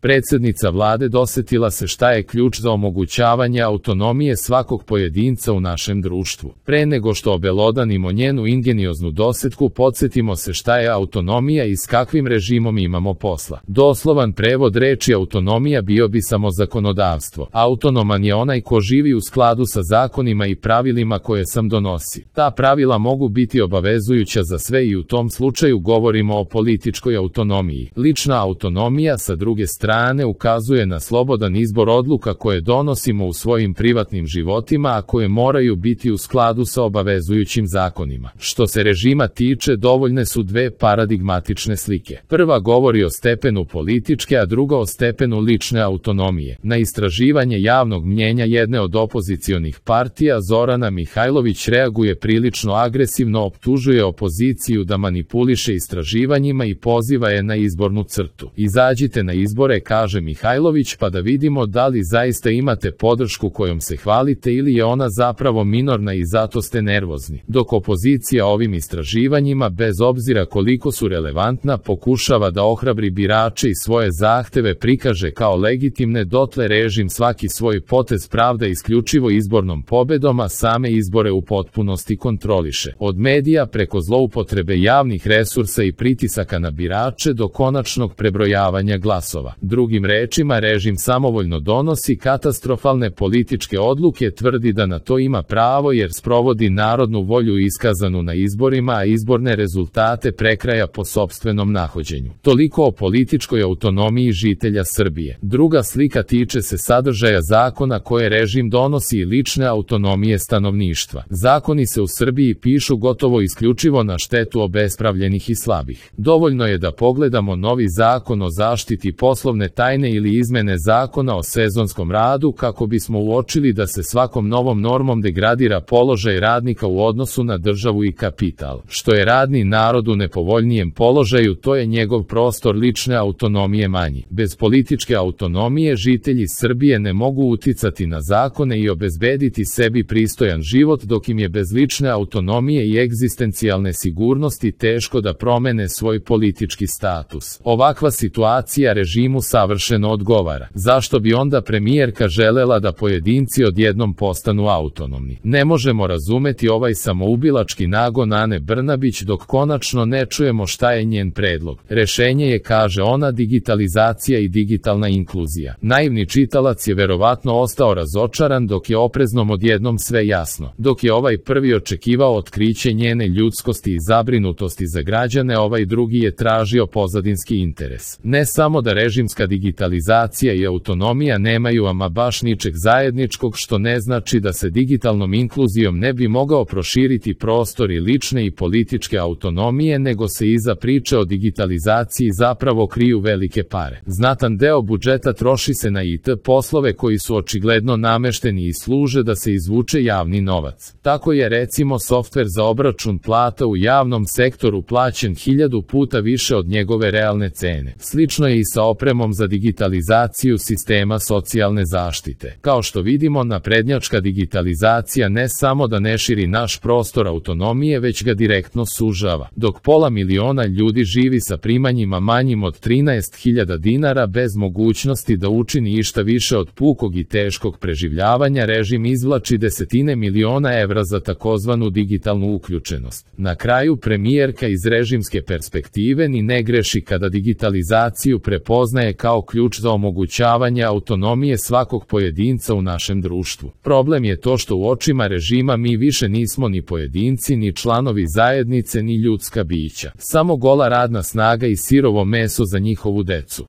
Predsjednica vlade dosetila se šta je ključ za omogućavanje autonomije svakog pojedinca u našem društvu. Pre nego što obelodanimo njenu ingenioznu dosetku, podsjetimo se šta je autonomija i s kakvim režimom imamo posla. Doslovan prevod reči autonomija bio bi samo zakonodavstvo. Autonoman je onaj ko živi u skladu sa zakonima i pravilima koje sam donosi. Ta pravila mogu biti obavezujuća za sve i u tom slučaju govorimo o političkoj autonomiji. Lična autonomija sa druge strane ukazuje na slobodan izbor odluka koje donosimo u svojim privatnim životima, a koje moraju biti u skladu sa obavezujućim zakonima. Što se režima tiče, dovoljne su dve paradigmatične slike. Prva govori o stepenu političke, a druga o stepenu lične autonomije. Na istraživanje javnog mnjenja jedne od opozicionih partija Zorana Mihajlović reaguje prilično agresivno, optužuje opoziciju da manipuliše istraživanjima i poziva je na izbornu crtu. Izađite na izbore, kaže Mihajlović, pa da vidimo da li zaista imate podršku kojom se hvalite ili je ona zapravo minorna i zato ste nervozni. Dok opozicija ovim istraživanjima, bez obzira koliko su relevantna, pokušava da ohrabri birače i svoje zahteve prikaže kao legitimne, dotle režim svaki svoj potez pravda isključivo izbornom pobedom, a same izbore u potpunosti kontroliše. Od medija preko zloupotrebe javnih resursa i pritisaka na birače do konačnog prebrojavanja glasova. Drugim rečima, režim samovoljno donosi katastrofalne političke odluke, tvrdi da na to ima pravo jer sprovodi narodnu volju iskazanu na izborima, a izborne rezultate prekraja po sopstvenom nahođenju. Toliko o političkoj autonomiji žitelja Srbije. Druga slika tiče se sadržaja zakona koje režim donosi i lične autonomije stanovništva. Zakoni se u Srbiji pišu gotovo isključivo na štetu obespravljenih i slabih. Dovoljno je da pogledamo novi zakon o zaštiti poslovne tajne ili izmene zakona o sezonskom radu kako bismo uočili da se svakom novom normom degradira položaj radnika u odnosu na državu i kapital. Što je radni narod u nepovoljnijem položaju, to je njegov prostor lične autonomije manji. Bez političke autonomije žitelji Srbije ne mogu uticati na zakone i obezbediti sebi pristojan život, dok im je bez lične autonomije i egzistencijalne sigurnosti teško da promene svoj politički status. Ovakva situacija režimu savršeno odgovara. Zašto bi onda premijerka želela da pojedinci odjednom postanu autonomni? Ne možemo razumeti ovaj samoubilački nagon Ane Brnabić dok konačno ne čujemo šta je njen predlog. Rešenje je, kaže ona, digitalizacija i digitalna inkluzija. Naivni čitalac je verovatno ostao razočaran dok je opreznom odjednom sve jasno. Dok je ovaj prvi očekivao otkriće njene ljudskosti i zabrinutosti za građane, ovaj drugi je tražio pozadinski interes. Ne samo da režimska digitalizacija i autonomija nemaju ama baš ničeg zajedničkog, što ne znači da se digitalnom inkluzijom ne bi mogao proširiti prostor i lične i političke autonomije, nego se iza priče o digitalizaciji zapravo kriju velike pare. Znatan deo budžeta troši se na IT poslove koji su očigledno namešteni i služe da se izvuče javni novac. Tako je recimo softver za obračun plata u javnom sektoru plaćen 1000 puta više od njegove realne cene. Slično je i sa opremom za digitalizaciju sistema socijalne zaštite. Kao što vidimo, naprednjačka digitalizacija ne samo da ne širi naš prostor autonomije, već ga direktno sužava. Dok pola miliona ljudi živi sa primanjima manjim od 13.000 dinara bez mogućnosti da učini išta više od pukog i teškog preživljavanja, režim izvlači desetine miliona evra za takozvanu digitalnu uključenost. Na kraju, premijerka iz režimske perspektive ni ne greši kada digitalizaciju prepoznaje kao ključ za omogućavanje autonomije svakog pojedinca u našem društvu. Problem je to što u očima režima mi više nismo ni pojedinci, ni članovi zajednice, ni ljudska bića. Samo gola radna snaga i sirovo meso za njihovu decu.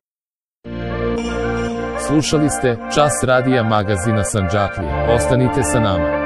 Slušali ste Čas radija magazina Sandžaklija. Ostanite sa nama.